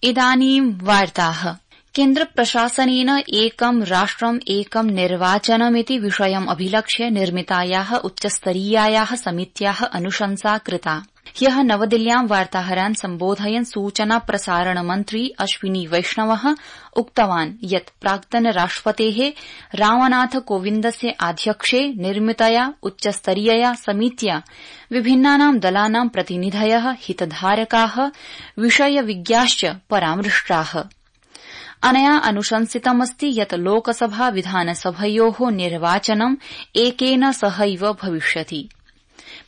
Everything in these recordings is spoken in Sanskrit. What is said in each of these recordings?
इदानीं वार्ताः। केन्द्र प्रशासनेन एकं राष्ट्रम् एकं निर्वाचनमिति विषयम् अभिलक्ष्य निर्मितायाः उच्चस्तरीयायाः समित्याः अनुशंसा कृता। ह्यः नवदिल्ल्यां वार्ताहरान् सम्बोधयन् सूचना प्रसारण मन्त्री अश्विनी वैष्णवः उक्तवान् यत् प्राक्तन राष्ट्रपतेः रामनाथ कोविन्दस्य आध्यक्ष्ये निर्मितया उच्चस्तरीयया समित्या विभिन्नानां दलानां प्रतिनिधयः हितधारकाः विषयविज्ञाश्च परामृष्टाः। अनया अनुशंसितमस्ति यत् लोकसभा विधानसभयोः निर्वाचनम् एकेन सहैव भविष्यति।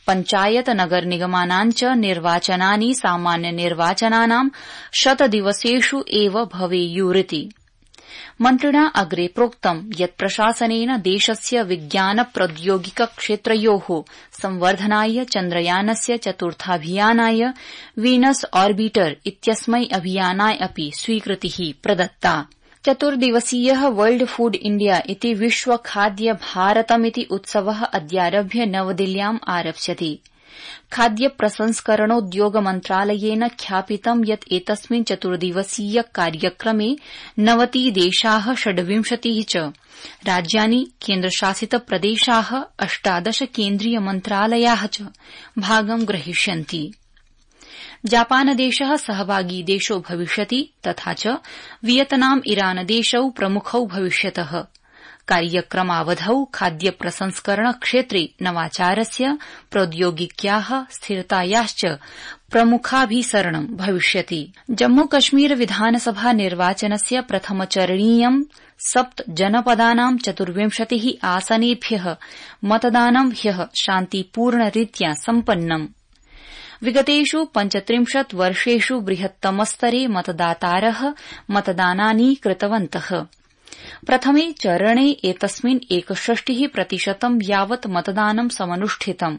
पञ्चायत नगर निगमानां च निर्वाचनानि सामान्य निर्वाचनानां 100 दिवसेषु एव भवेयुरिति। मन्त्रिणा अग्रे प्रोक्तम् यत् प्रशासनेन देशस्य विज्ञान प्रौद्योगिक क्षेत्रयोः संवर्धनाय चन्द्रयानस्य चतुर्थाभियानाय वीनस ऑर्बिटर इत्यस्मै अभियानाय अपि स्वीकृतिः प्रदत्ता। चतुर्दिवसीयः वर्ल्ड फूड इंडिया इति विश्व खाद्य भारतमिति उत्सवः अद्यारभ्य नवदिल्ल्याम् आरप्स्यति। खाद्य प्रसंस्करणोद्योग मन्त्रालयेन ख्यापितं यत् एतस्मिन् चतुर्दिवसीय कार्यक्रमे 90 देशाः 26 च राज्यानि केन्द्रशासित प्रदेशाः 18 केन्द्रीय मन्त्रालयाः च भागं ग्रहीष्यन्ति। जापानदेशः सहभागी देशो भविष्यति तथा च वियतनाम ईरान देशौ प्रमुखौ भविष्यतः। कार्यक्रमावधौ खाद्य प्रसंस्करण क्षेत्रे नवाचारस्य प्रौद्योगिक्याः स्थिरतायाश्च प्रमुखाभिसरणं भविष्यति। जम्मूकश्मीर विधानसभा निर्वाचनस्य प्रथमचरणीयं 7 जनपदानां 24 आसनेभ्यः मतदानं ह्यः शान्तिपूर्णरीत्या सम्पन्नम्। विगतेषु 35 वर्षेषु बृहत्तमस्तरे मतदातारः मतदानानि कृतवन्तः। प्रथमे चरणे एतस्मिन् 61% यावत् मतदानं समनुष्ठितम्।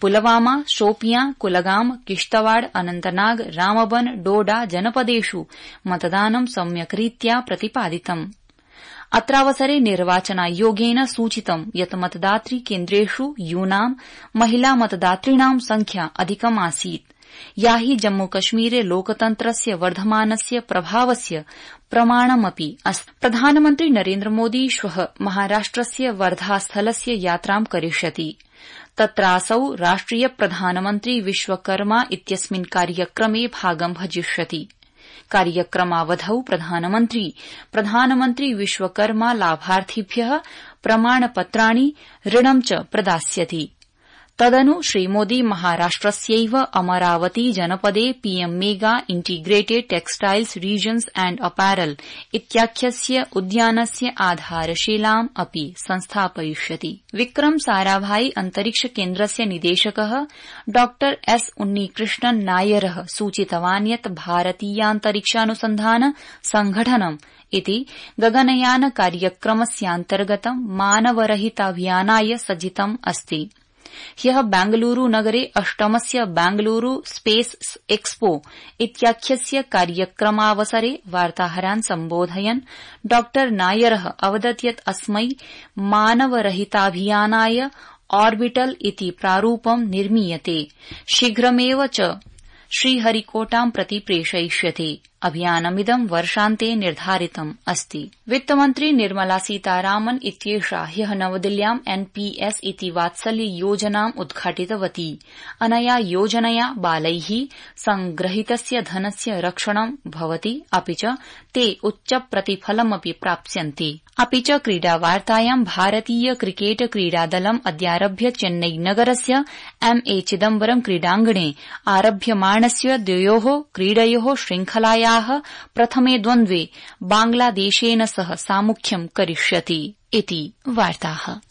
पुलवामा, शोपियां, कुलगाम, किश्तवाड़, अनन्तनाग, रामबन, डोडा जनपदेषु मतदानं सम्यक्रीत्या प्रतिपादितम्। अत्रावसरे निर्वाचनायोगेन सूचितं यत् मतदातृ केन्द्रेषु यूनां महिला मतदातॄणां संख्या अधिकमासीत्, या हि जम्मूकश्मीरे लोकतन्त्रस्य वर्धमानस्य प्रभावस्य प्रमाणमपि अस्ति। प्रधानमन्त्री नरेन्द्रमोदी श्वः महाराष्ट्रस्य वर्धास्थलस्य यात्रां करिष्यति। तत्रासौ राष्ट्रिय प्रधानमन्त्री विश्वकर्मा इत्यस्मिन् कार्यक्रमे भागं भजिष्यति। कार्यक्रमावधौ प्रधानमन्त्री विश्वकर्मा लाभार्थिभ्यः प्रमाणपत्राणि ऋणं च प्रदास्यति। तदनु श्रीमोदी महाराष्ट्रस्यैव अमरावती जनपदे PM mega integrated textiles regions and apparel इत्याख्यस्य उद्यानस्य आधारशिलाम् अपि संस्थापयिष्यति। विक्रम साराभाई अंतरिक्ष केन्द्रस्य निदेशकः डॉ एस उन्नीकृष्णन नायरः सूचितवान् यत् भारतीयान्तरिक्षानुसन्धान संघटनम् इति गगनयान कार्यक्रमस्यान्तर्गतं मानवरहिताभियानाय सज्जितम् अस्ति। ह्यः बेंगलुरू नगरे 8मस्य बेंगलुरू स्पेस एक्सपो इत्याख्यस्य कार्यक्रमावसरे वार्ताहरान् सम्बोधयन् डॉ नायरः अवदत् यत् अस्मै मानवरहिताभियानाय ऑर्बिटल इति प्रारूपं निर्मीयते। शीघ्रमेव च श्रीहरिकोटां प्रति प्रेषयिष्यते। अभियानमिदं वर्षान्ते निर्धारितम् अस्ति। वित्तमन्त्री निर्मला सीतारामन् इत्येषा ह्यः नवदिल्ल्यां एनपीएस इति वात्सल्य योजनाम् उद्घाटितवती। अनया योजनया बालैः संग्रहीतस्य धनस्य रक्षणं भवति, अपि च ते उच्चप्रतिफलमपि प्राप्स्यन्ति। अपि च क्रीडावार्तायां भारतीय क्रिकेट क्रीडादलम् अद्यारभ्य चेन्नई नगरस्य एमए चिदम्बरम् क्रीडाङ्गणे आरभ्यमाणस्य द्वयोः क्रीडयोः श्रृंखलायाः प्रथमे द्वन्द्वे बांग्लादेशेन सह सामुख्यं करिष्यति इति वार्ताः।